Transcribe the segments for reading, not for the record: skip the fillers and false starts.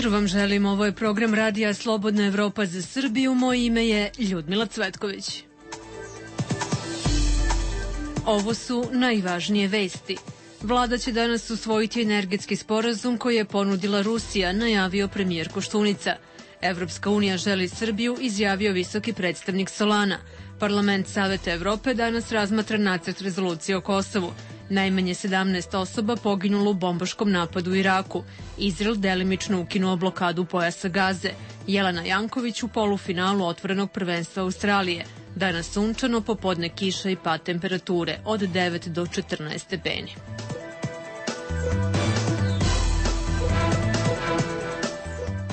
jutro vam želim, ovo je program radija Slobodna Evropa za Srbiju, moje ime je Ljudmila Cvetković. Ovo su najvažnije vesti. Vlada će danas usvojiti energetski sporazum koji je ponudila Rusija, najavio premijer Koštunica. Evropska unija želi Srbiju, izjavio visoki predstavnik Solana. Parlament Saveta Evrope danas razmatra nacrt rezolucije o Kosovu. Najmanje 17 osoba poginulo u bombaškom napadu u Iraku. Izrael delimično ukinuo blokadu pojasa Gaze. Jelena Janković u polufinalu otvorenog prvenstva Australije. Danas sunčano, popodne kiša i pad temperature od 9 do 14 stepeni.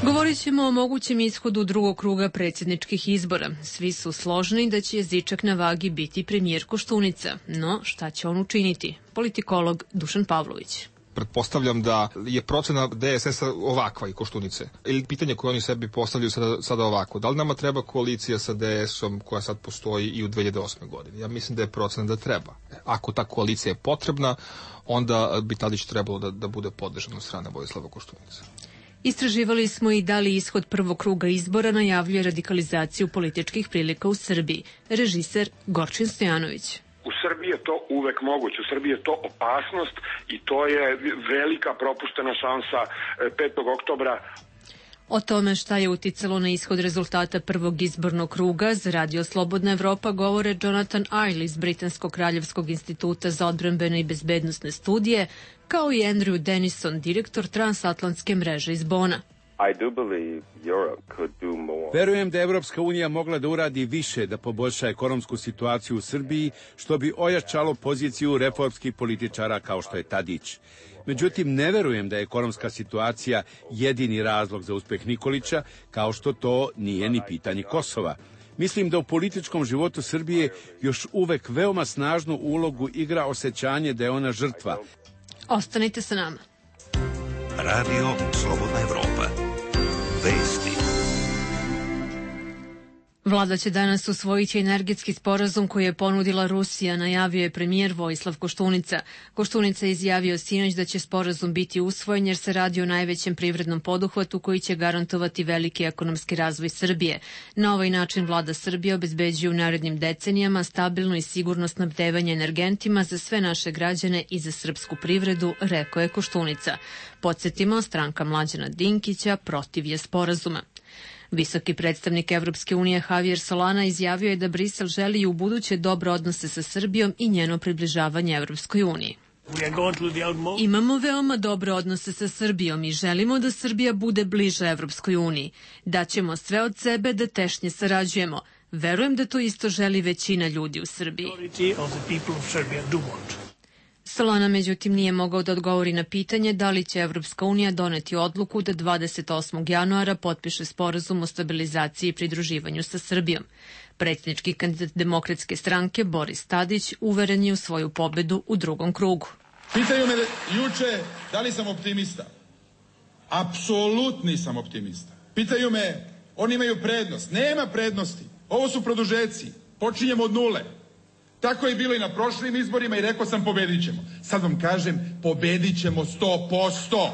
Govorit ćemo o mogućem ishodu drugog kruga predsjedničkih izbora. Svi su složni da će jezičak na vagi biti premijer Koštunica. No, šta će on učiniti? Politikolog Dušan Pavlović. Pretpostavljam da je procena DSS-a ovakva i Koštunice. Ili pitanje koje oni sebi postavljaju sada ovako. Da li nama treba koalicija sa DS-om koja sad postoji i u 2008. godini? Ja mislim da je procena da treba. Ako ta koalicija je potrebna, onda bi Tadić trebalo da bude podržan od strane Vojislava Koštunice. Istraživali smo i da li ishod prvog kruga izbora najavljuje radikalizaciju političkih prilika u Srbiji. Režiser Gorčin Stojanović. U Srbiji je to uvek moguće, u Srbiji je to opasnost i to je velika propuštena šansa 5. oktobra. O tome šta je uticalo na ishod rezultata prvog izbornog kruga za Radio Slobodna Evropa govore Jonathan Iles iz Britanskog kraljevskog instituta za odbrambene i bezbednosne studije, kao i Andrew Denison, direktor transatlantske mreže iz Bona. Verujem da Evropska unija mogla da uradi više da poboljša ekonomsku situaciju u Srbiji, što bi ojačalo poziciju reformskih političara kao što je Tadić. Međutim, ne verujem da je ekonomska situacija jedini razlog za uspeh Nikolića, kao što to nije ni pitanje Kosova. Mislim da u političkom životu Srbije još uvek veoma snažnu ulogu igra osjećanje da je ona žrtva. Ostanite sa nama. Radio Slobodna Evropa. Vesti. Vlada će danas usvojiti energetski sporazum koji je ponudila Rusija, najavio je premijer Vojislav Koštunica. Koštunica je izjavio sinoć da će sporazum biti usvojen jer se radi o najvećem privrednom poduhvatu koji će garantovati veliki ekonomski razvoj Srbije. Na ovaj način vlada Srbije obezbeđuje u narednim decenijama stabilno i sigurno snabdevanje energentima za sve naše građane i za srpsku privredu, rekao je Koštunica. Podsjetimo, stranka Mlađana Dinkića protiv je sporazuma. Visoki predstavnik Evropske unije Javier Solana izjavio je da Brisel želi i u buduće dobre odnose sa Srbijom i njeno približavanje Evropskoj uniji. Imamo veoma dobre odnose sa Srbijom i želimo da Srbija bude bliža Evropskoj uniji. Daćemo sve od sebe da tešnje sarađujemo. Verujem da to isto želi većina ljudi u Srbiji. Solana međutim nije mogao da odgovori na pitanje da li će Evropska unija doneti odluku da 28. januara potpiše sporazum o stabilizaciji i pridruživanju sa Srbijom. Predsjednički kandidat Demokratske stranke Boris Tadić uveren je u svoju pobedu u drugom krugu. Pitaju me juče da li sam optimista. Apsolutni sam optimista. Pitaju me, oni imaju prednost. Nema prednosti. Ovo su produžeci. Počinjemo od nule. Tako je bilo i na prošlim izborima i rekao sam pobedit ćemo. Sad vam kažem, pobedit ćemo 100%.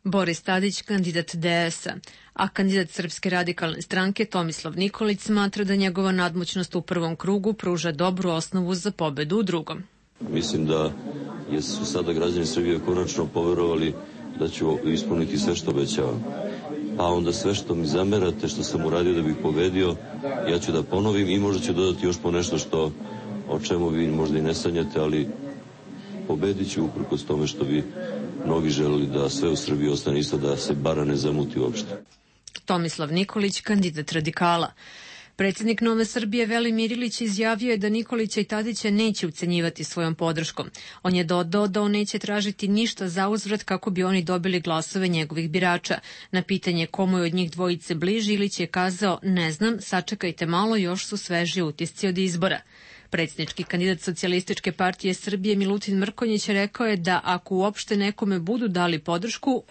Boris Tadić, kandidat DS-a, a kandidat Srpske radikalne stranke Tomislav Nikolić smatra da njegova nadmoćnost u prvom krugu pruža dobru osnovu za pobedu u drugom. Mislim da su sada građani Srbije konačno poverovali da ću ispuniti sve što obećavam. A onda sve što mi zamerate, što sam uradio da bih pobedio, ja ću da ponovim i možda ću dodati još po nešto o čemu vi možda i ne sanjate, ali pobedit ću uprkos tome što bi mnogi želeli da sve u Srbiji ostane isto, da se bara ne zamuti uopšte. Tomislav Nikolić, kandidat radikala. Predsjednik Nove Srbije Velimir Ilić izjavio je da Nikolića i Tadića neće ucenjivati svojom podrškom. On je dodao da on neće tražiti ništa za uzvrat kako bi oni dobili glasove njegovih birača. Na pitanje komu je od njih dvojice bliži, Ilić je kazao: ne znam, sačekajte malo, još su sveži utisci od izbora. Predsjednički kandidat Socijalističke partije Srbije Milutin Mrkonjić rekao je da ako uopšte nekome budu dali podršku,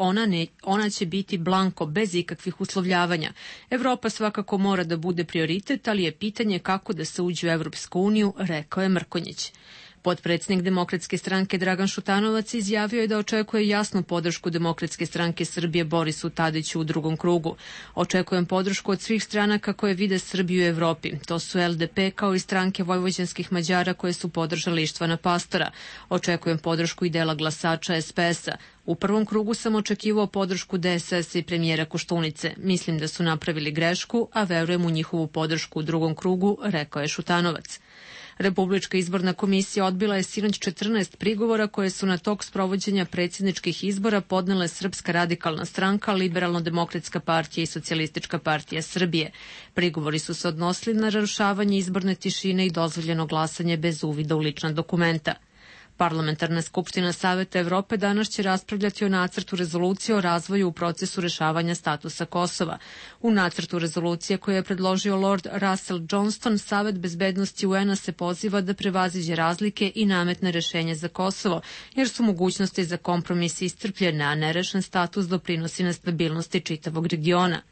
ona će biti blanko, bez ikakvih uslovljavanja. Evropa svakako mora da bude prioritet, ali je pitanje kako da se uđe u Evropsku uniju, rekao je Mrkonjić. Potpredsednik Demokratske stranke Dragan Šutanovac izjavio je da očekuje jasnu podršku Demokratske stranke Srbije Borisu Tadiću u drugom krugu. Očekujem podršku od svih stranaka koje vide Srbiju u Evropi. To su LDP kao i stranke vojvođanskih Mađara koje su podržali Ištvana Pastora. Očekujem podršku i dela glasača SPS-a. U prvom krugu sam očekivao podršku DSS i premijera Koštunice. Mislim da su napravili grešku, a verujem u njihovu podršku u drugom krugu, rekao je Šutanovac. Republička izborna komisija odbila je sinoć 14 prigovora koje su na tok sprovođenja predsjedničkih izbora podnele Srpska radikalna stranka, Liberalno-demokratska partija i Socijalistička partija Srbije. Prigovori su se odnosili na narušavanje izborne tišine i dozvoljeno glasanje bez uvida u lična dokumenta. Parlamentarna skupština Saveta Evrope danas će raspravljati o nacrtu rezolucije o razvoju u procesu rešavanja statusa Kosova. U nacrtu rezolucije koje je predložio Lord Russell Johnston, Savet bezbednosti UN-a se poziva da prevaziđe razlike i nametne rešenje za Kosovo, jer su mogućnosti za kompromis iscrpljene, a nerešen status doprinosi nestabilnosti čitavog regiona.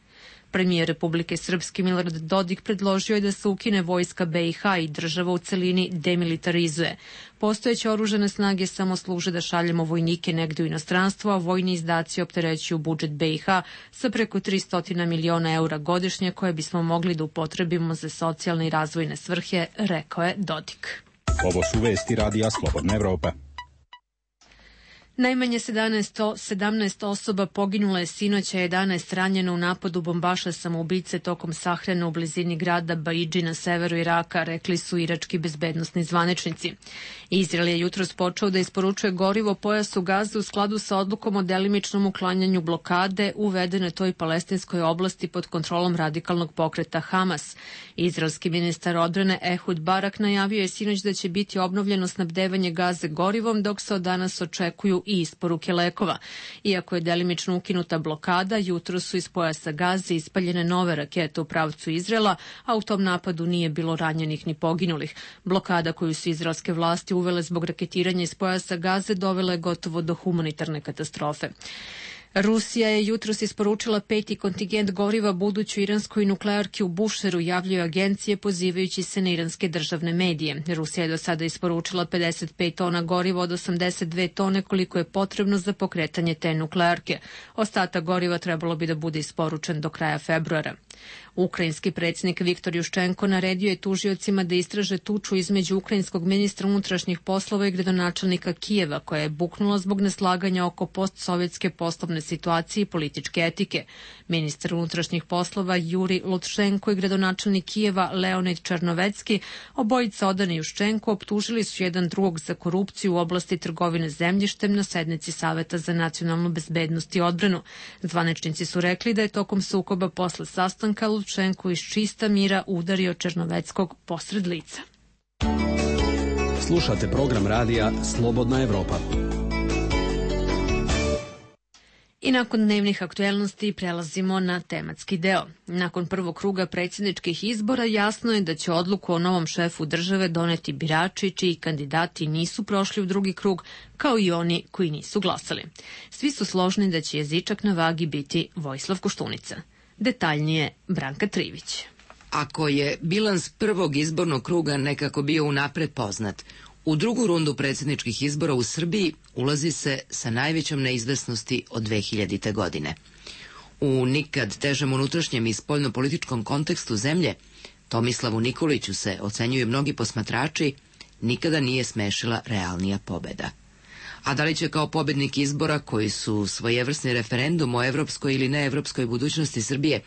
Premijer Republike Srpske Milorad Dodik predložio je da se ukine vojska BiH i država u celini demilitarizuje. Postojeće oružane snage samo služe da šaljemo vojnike negde u inostranstvo, a vojni izdaci opterećuju budžet BiH sa preko 300 miliona eura godišnje koje bismo mogli da upotrebimo za socijalne i razvojne svrhe, rekao je Dodik. Ovo su vesti Radija Slobodna Evropa. Najmanje 17 osoba poginulo je sinoć, a 11 ranjeno u napadu bombaša samoubice tokom sahrane u blizini grada Baidži na severu Iraka, rekli su irački bezbednosni zvaničnici. Izrael je jutros počeo da isporučuje gorivo pojasu Gaze u skladu sa odlukom o delimičnom uklanjanju blokade uvedene toj palestinskoj oblasti pod kontrolom radikalnog pokreta Hamas. Izraelski ministar odbrane Ehud Barak najavio je sinoć da će biti obnovljeno snabdevanje Gaze gorivom, dok se od danas očekuju i isporuke lekova. Iako je delimično ukinuta blokada, jutro su iz pojasa Gaze ispaljene nove rakete u pravcu Izraela, a u tom napadu nije bilo ranjenih ni poginulih. Blokada koju su izraelske vlasti uvele zbog raketiranja iz pojasa Gaze dovela je gotovo do humanitarne katastrofe. Rusija je jutros isporučila 5. kontingent goriva budućoj iranskoj nuklearki u Bušeru, javljaju agencije pozivajući se na iranske državne medije. Rusija je do sada isporučila 55 tona goriva od 82 tone koliko je potrebno za pokretanje te nuklearke. Ostatak goriva trebalo bi da bude isporučen do kraja februara. Ukrajinski predsjednik Viktor Juščenko naredio je tužiocima da istraže tuču između ukrajinskog ministra unutrašnjih poslova i gradonačelnika Kijeva, koja je buknula zbog neslaganja oko postsovjetske poslovne situacije i političke etike. Ministar unutrašnjih poslova Juri Lutšenko i gradonačelnik Kijeva Leonid Černovecki, obojica odani Juščenko, optužili su jedan drugog za korupciju u oblasti trgovine zemljištem na sednici Saveta za nacionalnu bezbednost i odbranu. Zvaničnici su rekli da je tokom sukoba posle sastanka Lutšenko iz čista mira udario Černoveckog posred lica. Slušate program radija Slobodna Evropa. I nakon dnevnih aktuelnosti prelazimo na tematski deo. Nakon prvog kruga predsjedničkih izbora jasno je da će odluku o novom šefu države doneti birači čiji kandidati nisu prošli u drugi krug, kao i oni koji nisu glasali. Svi su složni da će jezičak na vagi biti Vojislav Koštunica. Detaljnije Branka Trivić. Ako je bilans prvog izbornog kruga nekako bio unapred poznat, u drugu rundu predsjedničkih izbora u Srbiji ulazi se sa najvećom neizvesnosti od 2000. godine. U nikad težem unutrašnjem i spoljnopolitičkom kontekstu zemlje, Tomislavu Nikoliću se, ocenjuju mnogi posmatrači, nikada nije smešila realnija pobeda. A da li će kao pobednik izbora, koji su svojevrsni referendum o evropskoj ili neevropskoj budućnosti Srbije,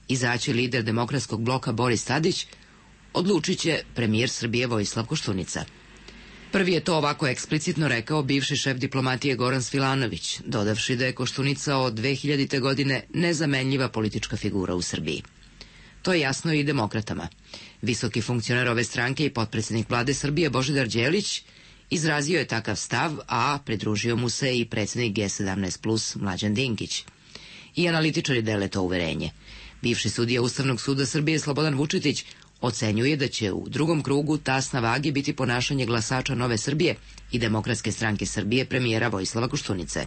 izaći lider demokratskog bloka Boris Tadić, odlučit će premijer Srbije Vojislav Koštunica. Prvi je to ovako eksplicitno rekao bivši šef diplomatije Goran Svilanović, dodavši da je Koštunica od 2000. godine nezamenljiva politička figura u Srbiji. To je jasno i demokratama. Visoki funkcioner ove stranke i potpredsjednik vlade Srbije Božidar Đelić izrazio je takav stav, a pridružio mu se i predsjednik G17+, Mlađan Dinkić. I analitičari dele to uverenje. Bivši sudija Ustavnog suda Srbije Slobodan Vučetić ocenjuje da će u drugom krugu tas na vagi biti ponašanje glasača Nove Srbije i Demokratske stranke Srbije premijera Vojislava Koštunice.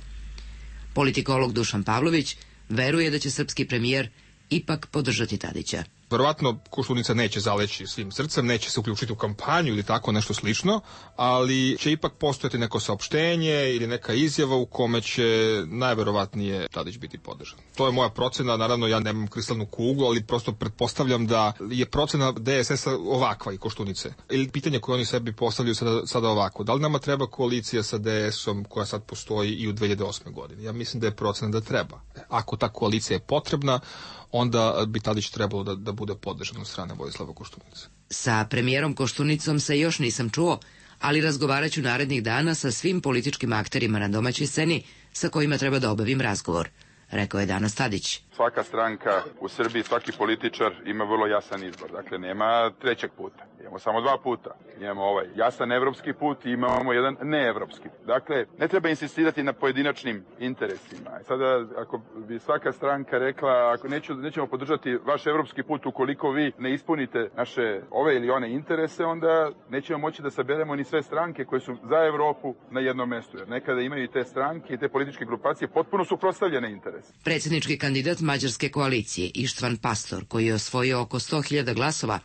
Politikolog Dušan Pavlović veruje da će srpski premijer ipak podržati Tadića. Verovatno Koštunica neće zaleći svim srcem, neće se uključiti u kampanju ili tako nešto slično, ali će ipak postojati neko saopštenje ili neka izjava u kome će najverovatnije Tadić biti podržan. To je moja procena, naravno ja nemam kristalnu kuglu, ali prosto pretpostavljam da je procena DSS-a ovakva i Koštunice. Ili pitanje koje oni sebi postavljaju sada ovako, da li nama treba koalicija sa DS-om koja sad postoji i u 2008. godini? Ja mislim da je procena da treba. Ako ta koalicija je potrebna, onda bi Tadić trebalo da bude podržan od strane Vojislava Koštunice. Sa premijerom Koštunicom se još nisam čuo, ali razgovarat ću narednih dana sa svim političkim akterima na domaćoj sceni sa kojima treba da obavim razgovor, rekao je danas Tadić. Svaka stranka u Srbiji, svaki političar ima vrlo jasan izbor. Dakle, nema trećeg puta. Imamo samo dva puta. Imamo ovaj jasan evropski put i imamo jedan neevropski. Dakle, ne treba insistirati na pojedinačnim interesima. Sada, ako bi svaka stranka rekla, ako nećemo podržati vaš evropski put ukoliko vi ne ispunite naše ove ili one interese, onda nećemo moći da saberemo ni sve stranke koje su za Evropu na jednom mestu. Jer nekada imaju i te stranke i te političke grupacije potpuno suprotstavljene interese. Predsjednički kandidat Mađarske koalicije Ištvan Pastor, koji je osvojio oko 100.000 glasova,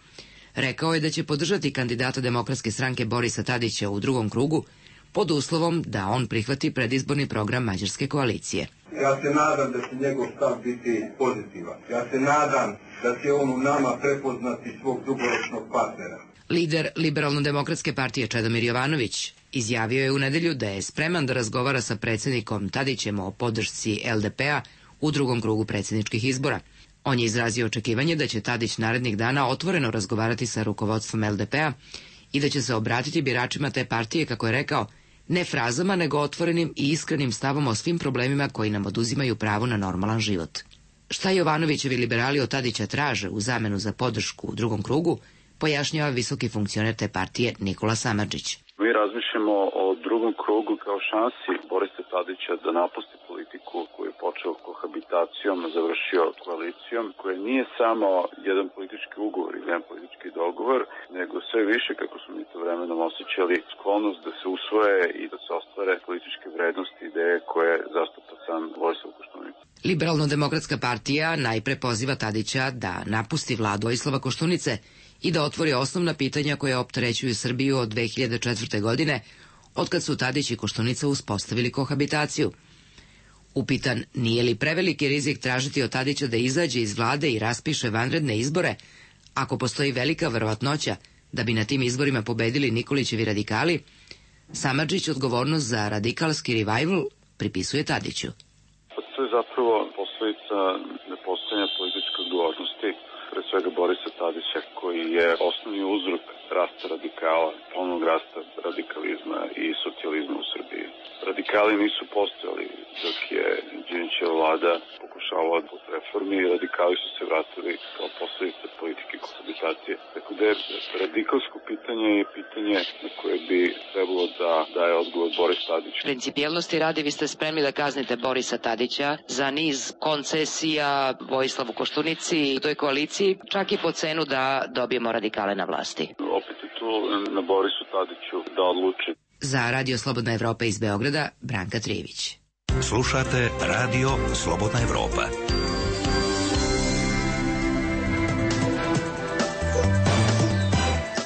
rekao je da će podržati kandidata Demokratske stranke Borisa Tadića u drugom krugu pod uslovom da on prihvati predizborni program Mađarske koalicije. Ja se nadam da će njegov stav biti pozitivan. Ja se nadam da će on u nama prepoznati svog dugoročnog partnera. Lider Liberalno-demokratske partije Čedomir Jovanović izjavio je u nedelju da je spreman da razgovara sa predsjednikom Tadićem o podršci LDP-a u drugom krugu predsjedničkih izbora. On je izrazio očekivanje da će Tadić narednih dana otvoreno razgovarati sa rukovodstvom LDP-a i da će se obratiti biračima te partije, kako je rekao, ne frazama nego otvorenim i iskrenim stavom o svim problemima koji nam oduzimaju pravo na normalan život. Šta Jovanovićevi liberali od Tadića traže u zamenu za podršku u drugom krugu, pojašnjava visoki funkcioner te partije Nikola Samardžić. Mi razmišljamo o drugom krugu kao šansi Borisa Tadića da napusti politiku koju je počeo kohabitacijom, završio koalicijom, koja nije samo jedan politički ugovor ili jedan politički dogovor, nego sve više, kako smo mi to vremenom osjećali, sklonost da se usvoje i da se ostvare političke vrednosti i ideje koje zastupa sam Vojislav Koštunica. Liberalno-demokratska partija najpre poziva Tadića da napusti vladu Vojislava Koštunice i da otvori osnovna pitanja koja opterećuju Srbiju od 2004. godine, otkad su Tadić i Koštunica uspostavili kohabitaciju. Upitan nije li preveliki rizik tražiti od Tadića da izađe iz vlade i raspiše vanredne izbore, ako postoji velika verovatnoća da bi na tim izborima pobedili Nikolićevi radikali, Samardžić odgovornost za radikalski revival pripisuje Tadiću. To je zapravo posledica nepostojanja političke odgovornosti, pre svega Borisa Tadića, koji je osnovni uzrok rasta radikala, ponovnog rasta radikalizma i socijalizma u Srbiji. Radikali nisu postojali dok je Đinđićeva vlada pokušavala pod reformi i radikali su se vratili kao posledica politike kohabitacije. Tako da je radikalsko pitanje je pitanje na koje bi trebalo da daje odgovor Boris Tadić. Principijelnosti radi, vi ste spremni da kaznite Borisa Tadića za niz koncesija Vojislavu Koštunici i toj koaliciji, čak i po cenu da dobijemo radikale na vlasti. Opet je tu na Borisu Tadiću da odluči. Za Radio Slobodna Evropa iz Beograda, Branka Trijević. Slušate Radio Slobodna Evropa.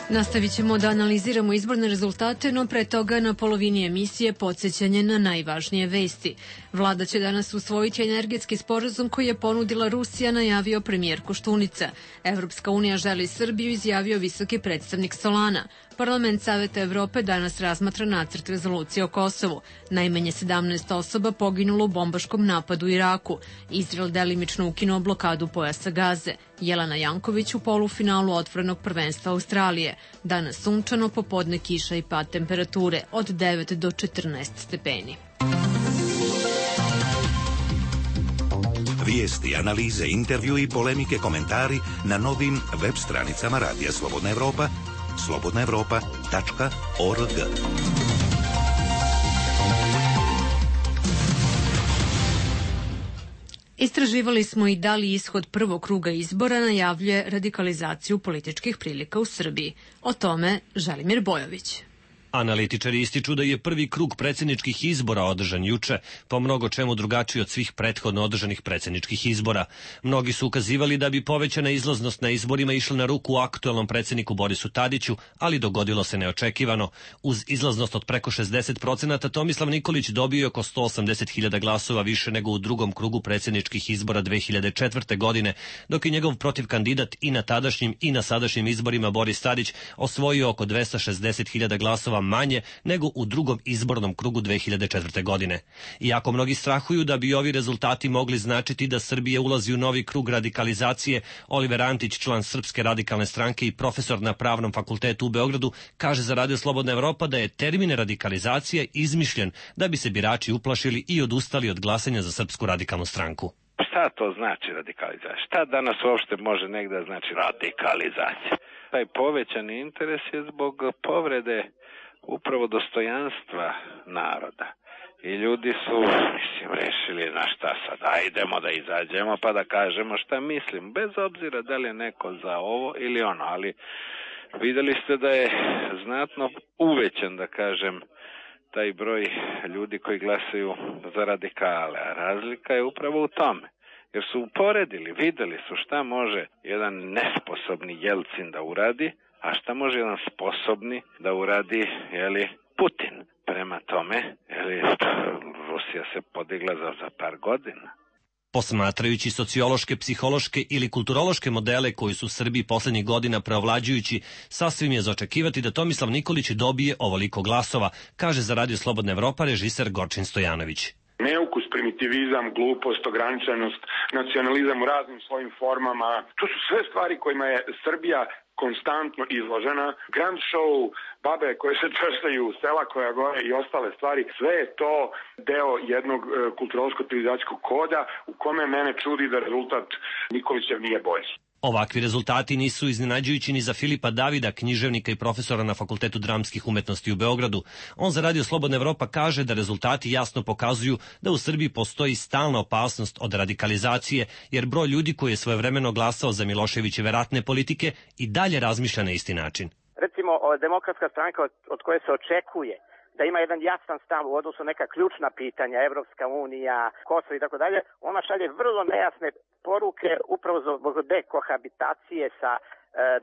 Nastavit ćemo da analiziramo izborne rezultate, no pre toga na polovini emisije podsjećanje na najvažnije vesti. Vlada će danas usvojiti energetski sporazum koji je ponudila Rusija, najavio premijer Koštunica. Evropska unija želi Srbiju, izjavio visoki predstavnik Solana. Parlament Saveta Evrope danas razmatra nacrt rezolucije o Kosovu. Najmanje 17 osoba poginulo u bombaškom napadu u Iraku. Izrael delimično ukinuo blokadu pojasa Gaze. Jelena Janković u polufinalu otvorenog prvenstva Australije. Danas sunčano, popodne kiša i pad temperature od 9 do 14 stepeni. Vijesti, analize, intervju i polemike, komentari na novim web stranicama Radija Slobodna Evropa, slobodnaevropa.org. Istraživali smo i da li ishod prvog kruga izbora najavljuje radikalizaciju političkih prilika u Srbiji. O tome Želimir Bojović. Analitičari ističu da je prvi krug predsjedničkih izbora održan juče, po mnogo čemu drugačiji od svih prethodno održanih predsjedničkih izbora. Mnogi su ukazivali da bi povećana izlaznost na izborima išla na ruku aktuelnom predsjedniku Borisu Tadiću, ali dogodilo se neočekivano. Uz izlaznost od preko 60%, Tomislav Nikolić dobio je oko 180.000 glasova više nego u drugom krugu predsjedničkih izbora 2004. godine, dok je njegov protivkandidat i na tadašnjim i na sadašnjim izborima Boris Tadić osvojio oko 260.000 glasova manje nego u drugom izbornom krugu 2004. godine. Iako mnogi strahuju da bi ovi rezultati mogli značiti da Srbija ulazi u novi krug radikalizacije, Oliver Antić, član Srpske radikalne stranke i profesor na Pravnom fakultetu u Beogradu, kaže za Radio Slobodna Evropa da je termin radikalizacije izmišljen da bi se birači uplašili i odustali od glasanja za Srpsku radikalnu stranku. Šta to znači radikalizacija? Šta danas uopšte može negdje znači radikalizacija? Taj povećani interes je zbog povrede upravo dostojanstva naroda. I ljudi su, rešili na šta sad, idemo da izađemo pa da kažemo šta mislim, bez obzira da li je neko za ovo ili ono, ali videli ste da je znatno uvećan, da kažem, taj broj ljudi koji glasaju za radikale, a razlika je upravo u tome. Jer su uporedili, videli su šta može jedan nesposobni Jelcin da uradi, a šta može jedan sposobni da uradi, Putin. Prema tome, Rusija se podigla za par godina. Posmatrajući sociološke, psihološke ili kulturološke modele koji su u Srbiji poslednjih godina preovlađujući, sasvim je za očekivati da Tomislav Nikolić dobije ovoliko glasova, kaže za Radio Slobodna Evropa režiser Gorčin Stojanović. Neukus, primitivizam, glupost, ograničenost, nacionalizam u raznim svojim formama, to su sve stvari kojima je Srbija konstantno izložena. Grand show, babe koje se češljaju, sela koja gore i ostale stvari, sve je to deo jednog kulturološko-civilizacijskog koda u kome mene čudi da rezultat Nikolićev nije bolji. Ovakvi rezultati nisu iznenađujući ni za Filipa Davida, književnika i profesora na Fakultetu dramskih umetnosti u Beogradu. On za Radio Slobodna Evropa kaže da rezultati jasno pokazuju da u Srbiji postoji stalna opasnost od radikalizacije, jer broj ljudi koji je svojevremeno glasao za Miloševićeve ratne politike i dalje razmišlja na isti način. Recimo, Demokratska stranka od koje se očekuje da ima jedan jasan stav u odnosu neka ključna pitanja, Evropska unija, Kosovo i tako dalje, ona šalje vrlo nejasne poruke upravo zbog dekohabitacije sa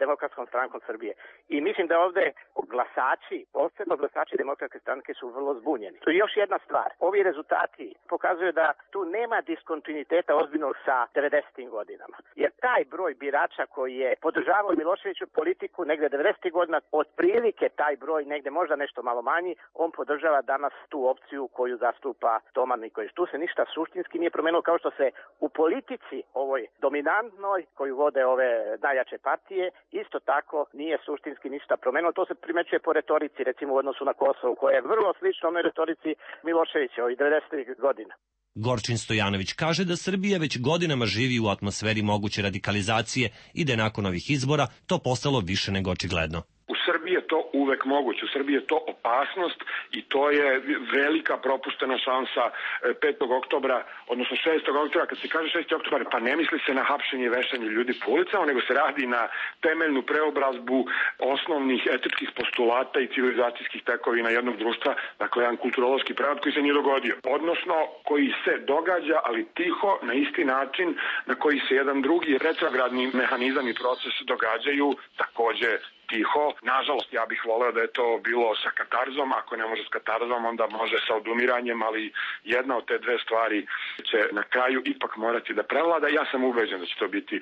Demokratskom strankom Srbije. I mislim da ovde glasači, posebno glasači Demokratske stranke su vrlo zbunjeni. To je još jedna stvar. Ovi rezultati pokazuju da tu nema diskontinuiteta ozbiljnog sa 90. godinama. Jer taj broj birača koji je podržavao Miloševiću politiku negde 90. godina, otprilike taj broj negde možda nešto malo manji, on podržava danas tu opciju koju zastupa Toma Nikolić. Tu se ništa suštinski nije promenilo, kao što se u politici ovoj dominantnoj koju vode ove najjače partije isto tako nije suštinski ništa promenilo. To se primećuje po retorici, recimo u odnosu na Kosovo, koja je vrlo slična onoj retorici Miloševića ovih 90. godina. Gorčin Stojanović kaže da Srbija već godinama živi u atmosferi moguće radikalizacije i da je nakon ovih izbora to postalo više nego očigledno. U Srbiji je to uvek moguće, u Srbiji je to opasnost i to je velika propuštena šansa 5. oktobra, odnosno 6. oktobra. Kad se kaže 6. oktobar, pa ne misli se na hapšenje i vešanje ljudi po ulicama, nego se radi na temeljnu preobrazbu osnovnih etičkih postulata i civilizacijskih tekovina jednog društva, dakle jedan kulturološki prevrat koji se nije dogodio, odnosno koji se događa, ali tiho, na isti način na koji se jedan drugi retrogradni mehanizam i proces događaju, takođe tiho. Nažalost, ja bih voleo da je to bilo sa katarzom, ako ne može s katarzom, onda može sa odumiranjem, ali jedna od te dve stvari će na kraju ipak morati da prevlada. Ja sam ubeđen da će to biti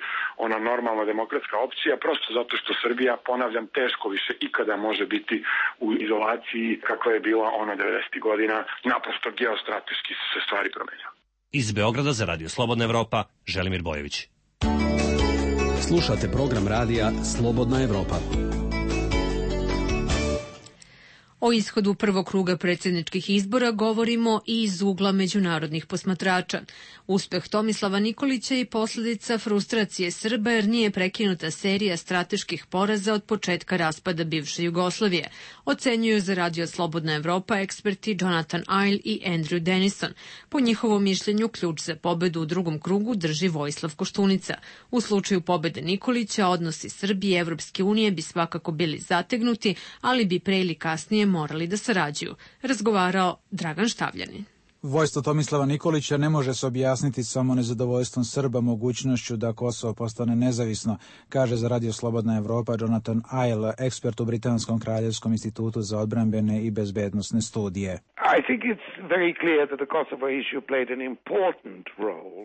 ona normalna demokratska opcija, prosto zato što Srbija, ponavljam, teško više ikada može biti u izolaciji kakva je bila ona 90. godina. Naprosto geostrateški su se stvari promenile. Iz Beograda za Radio Slobodna Evropa, Želimir Bojović. Slušate program radija Slobodna Evropa. O ishodu prvog kruga predsjedničkih izbora govorimo i iz ugla međunarodnih posmatrača. Uspeh Tomislava Nikolića i posljedica frustracije Srba jer nije prekinuta serija strateških poraza od početka raspada bivše Jugoslavije, ocenjuju za Radio Slobodna Evropa eksperti Jonathan Iles i Andrew Denison. Po njihovom mišljenju ključ za pobedu u drugom krugu drži Vojislav Koštunica. U slučaju pobede Nikolića odnosi Srbije i Evropske unije bi svakako bili zategnuti, ali bi pre ili kasnije morali da sarađuju, razgovarao Dragan Štavljanin. Vojstvo Tomislava Nikolića ne može se objasniti samo nezadovoljstvom Srba mogućnošću da Kosovo postane nezavisno, kaže za Radio Slobodna Evropa Jonathan Isle, ekspert u Britanskom kraljevskom institutu za odbrambene i bezbednosne studije.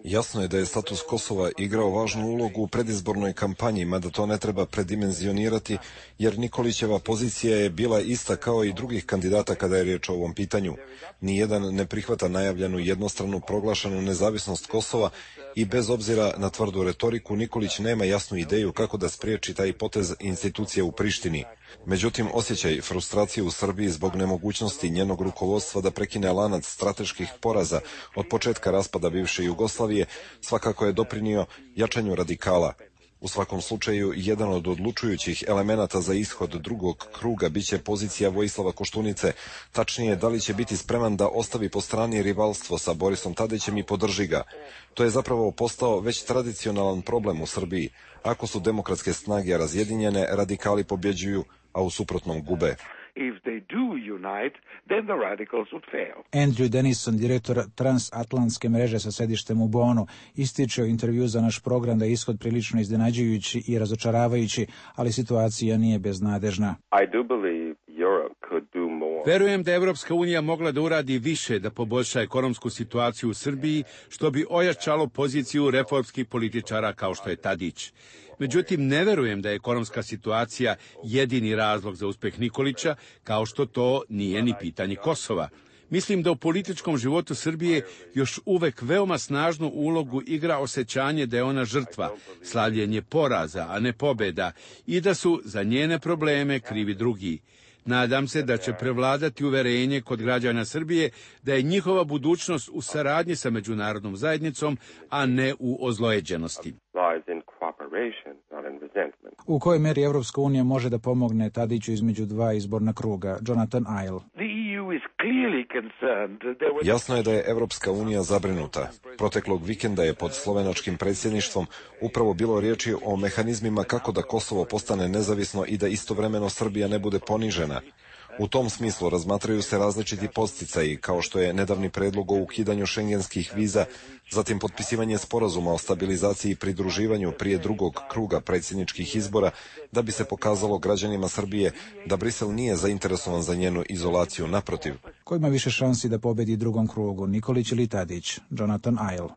Jasno je da je status Kosova igrao važnu ulogu u predizbornoj kampanji, mada to ne treba predimenzionirati, jer Nikolićeva pozicija je bila ista kao i drugih kandidata kada je riječ o ovom pitanju. Nijedan ne prihvata najavljenu jednostranu proglašenu nezavisnost Kosova i bez obzira na tvrdu retoriku Nikolić nema jasnu ideju kako da spriječi taj potez institucija u Prištini. Međutim, osjećaj frustracije u Srbiji zbog nemogućnosti njenog rukovodstva da prekine lanac strateških poraza od početka raspada bivše Jugoslavije svakako je doprinio jačanju radikala. U svakom slučaju, jedan od odlučujućih elemenata za ishod drugog kruga biće pozicija Vojislava Koštunice, tačnije da li će biti spreman da ostavi po strani rivalstvo sa Borisom Tadićem i podrži ga. To je zapravo postao već tradicionalan problem u Srbiji. Ako su demokratske snage razjedinjene, radikali pobjeđuju, a u suprotnom gube. Andrew Denison, direktor transatlantske mreže sa sedištem u Bonu, ističe u intervju za naš program da je ishod prilično iznenađujući i razočaravajući, ali situacija nije beznadežna. Verujem da je Evropska unija mogla da uradi više da poboljša ekonomsku situaciju u Srbiji, što bi ojačalo poziciju reformskih političara kao što je Tadić. Međutim, ne verujem da je ekonomska situacija jedini razlog za uspeh Nikolića, kao što to nije ni pitanje Kosova. Mislim da u političkom životu Srbije još uvek veoma snažnu ulogu igra osjećanje da je ona žrtva, slavljenje poraza, a ne pobjeda, i da su za njene probleme krivi drugi. Nadam se da će prevladati uverenje kod građana Srbije da je njihova budućnost u saradnji sa međunarodnom zajednicom, a ne u ozlojeđenosti. U kojoj meri Evropska unija može da pomogne Tadiću između dva izborna kruga? Jonathan Isle. Jasno je da je Evropska unija zabrinuta. Proteklog vikenda je pod slovenačkim predsjedništvom upravo bilo riječi o mehanizmima kako da Kosovo postane nezavisno i da istovremeno Srbija ne bude ponižena. U tom smislu razmatraju se različiti podsticaji, kao što je nedavni predlog o ukidanju šengenskih viza, zatim potpisivanje sporazuma o stabilizaciji i pridruživanju prije drugog kruga predsjedničkih izbora, da bi se pokazalo građanima Srbije da Brisel nije zainteresovan za njenu izolaciju, naprotiv. Ko ima više šansi da pobedi u drugom krugu, Nikolić ili Tadić? Jonathan Isle.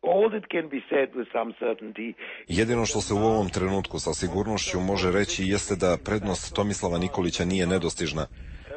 Jedino što se u ovom trenutku sa sigurnošću može reći jeste da prednost Tomislava Nikolića nije nedostižna.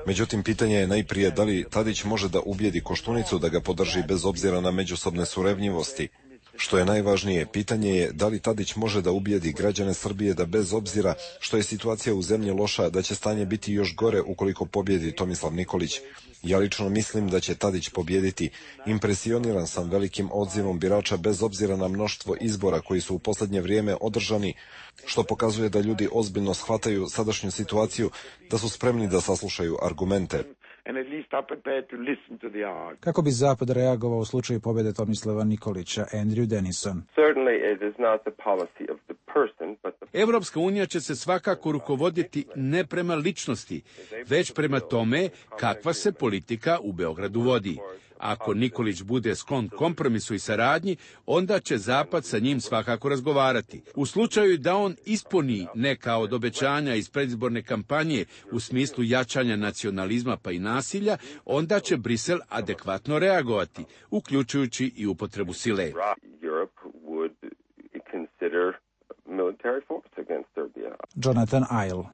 Međutim, pitanje je najprije da li Tadić može da ubijedi Koštunicu da ga podrži bez obzira na međusobne surevnjivosti. Što je najvažnije, pitanje je da li Tadić može da ubijedi građane Srbije da bez obzira što je situacija u zemlji loša, da će stanje biti još gore ukoliko pobjedi Tomislav Nikolić. Ja lično mislim da će Tadić pobjediti. Impresioniran sam velikim odzivom birača bez obzira na mnoštvo izbora koji su u posljednje vrijeme održani, što pokazuje da ljudi ozbiljno shvataju sadašnju situaciju, da su spremni da saslušaju argumente. Kako bi Zapad reagovao u slučaju pobjede Tomislava Nikolića? Andrew Denison. Evropska unija će se svakako rukovoditi ne prema ličnosti, već prema tome kakva se politika u Beogradu vodi. Ako Nikolić bude sklon kompromisu i saradnji, onda će Zapad sa njim svakako razgovarati. U slučaju da on ispuni neka od obećanja iz predizborne kampanje u smislu jačanja nacionalizma pa i nasilja, onda će Brisel adekvatno reagovati, uključujući i upotrebu sile. Jonathan Isle.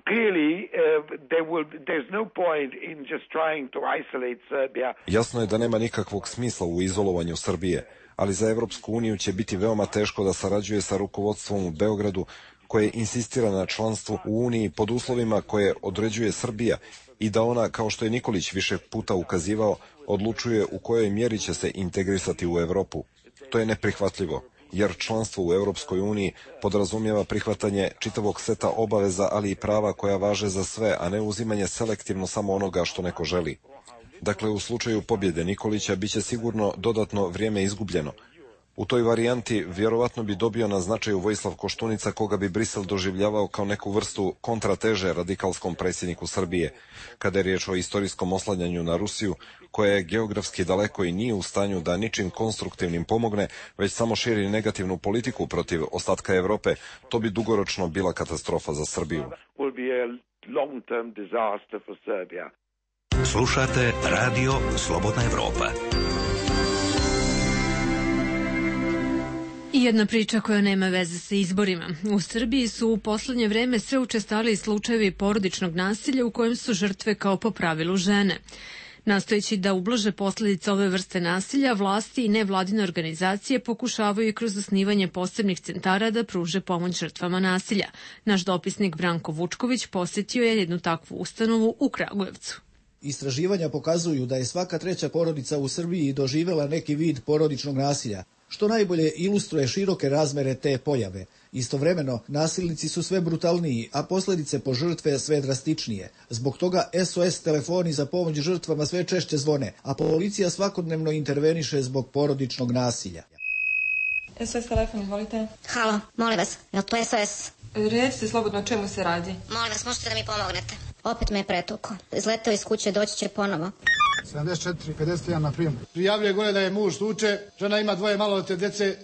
Jasno je da nema nikakvog smisla u izolovanju Srbije, ali za Evropsku uniju će biti veoma teško da sarađuje sa rukovodstvom u Beogradu, koje insistira na članstvu u Uniji pod uslovima koje određuje Srbija i da ona, kao što je Nikolić više puta ukazivao, odlučuje u kojoj mjeri će se integrisati u Evropu. To je neprihvatljivo, jer članstvo u Europskoj uniji podrazumijeva prihvatanje čitavog seta obaveza, ali i prava koja važe za sve, a ne uzimanje selektivno samo onoga što neko želi. Dakle, u slučaju pobjede Nikolića biće sigurno dodatno vrijeme izgubljeno. U toj varijanti vjerovatno bi dobio na značaju Vojislav Koštunica, koga bi Brisel doživljavao kao neku vrstu kontrateže radikalskom predsjedniku Srbije, kada je riječ o istorijskom oslanjanju na Rusiju, koja je geografski daleko i nije u stanju da ničim konstruktivnim pomogne, već samo širi negativnu politiku protiv ostatka Evrope. To bi dugoročno bila katastrofa za Srbiju. Slušate Radio Slobodna Evropa. I jedna priča koja nema veze sa izborima. U Srbiji su u poslednje vreme sve učestaliji slučajevi porodičnog nasilja u kojem su žrtve kao po pravilu žene. Nastojeći da ublaže posledice ove vrste nasilja, vlasti i nevladine organizacije pokušavaju i kroz osnivanje posebnih centara da pruže pomoć žrtvama nasilja. Naš dopisnik Branko Vučković posjetio je jednu takvu ustanovu u Kragujevcu. Istraživanja pokazuju da je svaka treća porodica u Srbiji doživela neki vid porodičnog nasilja, što najbolje ilustruje široke razmere te pojave. Istovremeno, nasilnici su sve brutalniji, a posljedice po žrtve sve drastičnije. Zbog toga SOS telefoni za pomoć žrtvama sve češće zvone, a policija svakodnevno interveniše zbog porodičnog nasilja. SOS telefon, izvolite. Halo, molim vas, je li to SOS? Recite slobodno o čemu se radi. Molim vas, možete da mi pomognete. Opet me je pretukao. Izletao iz kuće, doći će ponovo. 74-51 na prijem. Prijavljuje gore da je muž tuče, žena ima 2 maloljetne djece.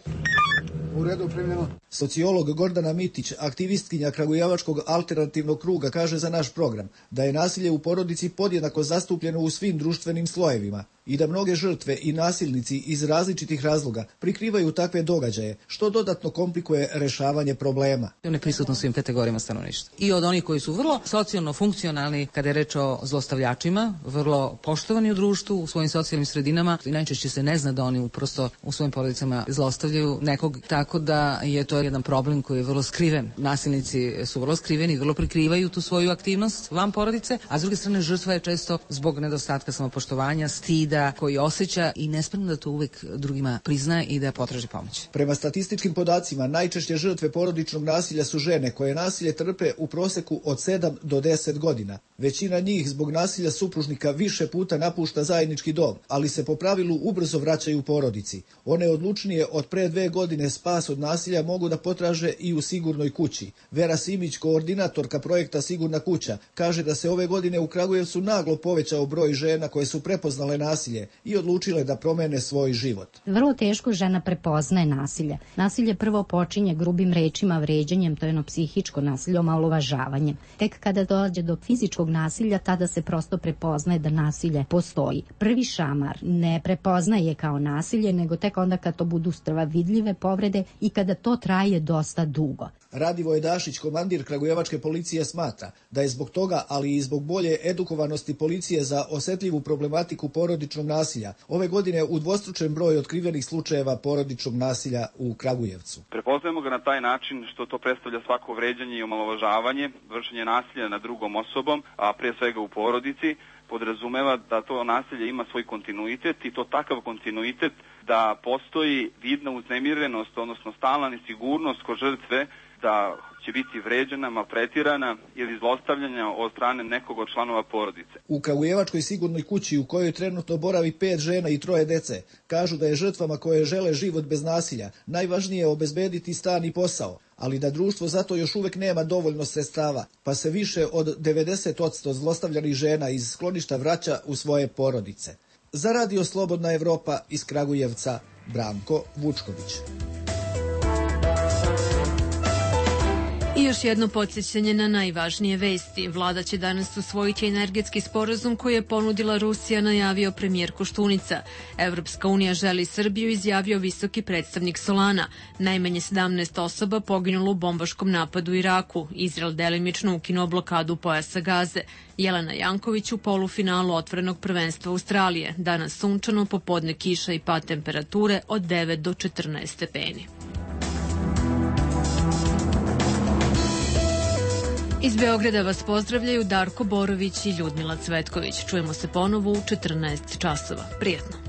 U redu, primljeno. Sociolog Gordana Mitić, aktivistkinja Kragujevačkog alternativnog kruga, kaže za naš program da je nasilje u porodici podjednako zastupljeno u svim društvenim slojevima i da mnoge žrtve i nasilnici iz različitih razloga prikrivaju takve događaje, što dodatno komplikuje rešavanje problema. On je prisutan svim kategorijama stanovništva. I od onih koji su vrlo socijalno funkcionalni kada je reč o zlostavljačima, vrlo poštovani u društvu, u svojim socijalnim sredinama i najčešće se ne zna da oni prosto u svojim porodicama zlostavljaju nekog, tako da je to jedan problem koji je vrlo skriven. Nasilnici su vrlo skriveni, vrlo prikrivaju tu svoju aktivnost van porodice, a s druge strane žrtva je često zbog nedostatka samopoštovanja, stida koji osjeća i nespremno da to uvek drugima prizna i da potraži pomoć. Prema statističkim podacima, najčešće žrtve porodičnog nasilja su žene koje nasilje trpe u proseku od 7 do 10 godina. Većina njih zbog nasilja supružnika više puta napušta zajednički dom, ali se po pravilu ubrzo vraćaju u porodici. One odlučnije od pre 2 godine spas od nasilja mogu da potraže i u sigurnoj kući. Vera Simić, koordinatorka projekta Sigurna kuća, kaže da se ove godine u Kragujevcu naglo povećao broj žena koje su prepoznale nasilje i odlučile da promene svoj život. Vrlo teško žena prepoznaje nasilje. Nasilje prvo počinje grubim rečima, vređanjem, to je jedno psihičko nasilje, omalovažavanjem. Tek kada dođe do fizičkog nasilja, tada se prosto prepoznaje da nasilje postoji. Prvi šamar ne prepoznaje kao nasilje, nego tek onda kad to budu vidljive povrede i kada to traje dosta dugo. Radivoje Dašić, komandir Kragujevačke policije, smatra da je zbog toga, ali i zbog bolje edukovanosti policije za osetljivu problematiku porodičnog nasilja, ove godine udvostručen broj otkrivenih slučajeva porodičnog nasilja u Kragujevcu. Prepoznajemo ga na taj način što to predstavlja svako vređanje i omalovažavanje, vršenje nasilja nad drugom osobom, a prije svega u porodici, podrazumeva da to nasilje ima svoj kontinuitet i to takav kontinuitet da postoji vidna uznemirenost, odnosno stalna nesigurnost kod žrtve da će biti vređena, maltretirana ili zlostavljanja od strane nekog od članova porodice. U Kragujevačkoj sigurnoj kući u kojoj trenutno boravi 5 žena i 3 dece, kažu da je žrtvama koje žele život bez nasilja najvažnije obezbediti stan i posao, ali da društvo zato još uvek nema dovoljno sredstava, pa se više od 90% zlostavljanih žena iz skloništa vraća u svoje porodice. Za Radio Slobodna Evropa iz Kragujevca, Branko Vučković. I još jedno podsjećanje na najvažnije vesti. Vlada će danas usvojiti energetski sporazum koji je ponudila Rusija, najavio premijer Koštunica. Evropska unija želi Srbiju, izjavio visoki predstavnik Solana. Najmanje 17 osoba poginulo u bombaškom napadu u Iraku. Izrael delimično ukinuo blokadu pojasa Gaze. Jelena Janković u polufinalu otvorenog prvenstva Australije. Danas sunčano, popodne kiša i pad temperature od 9 do 14 stepeni. Iz Beograda vas pozdravljaju Darko Borović i Ljudmila Cvetković. Čujemo se ponovo u 14 časova. Prijetno.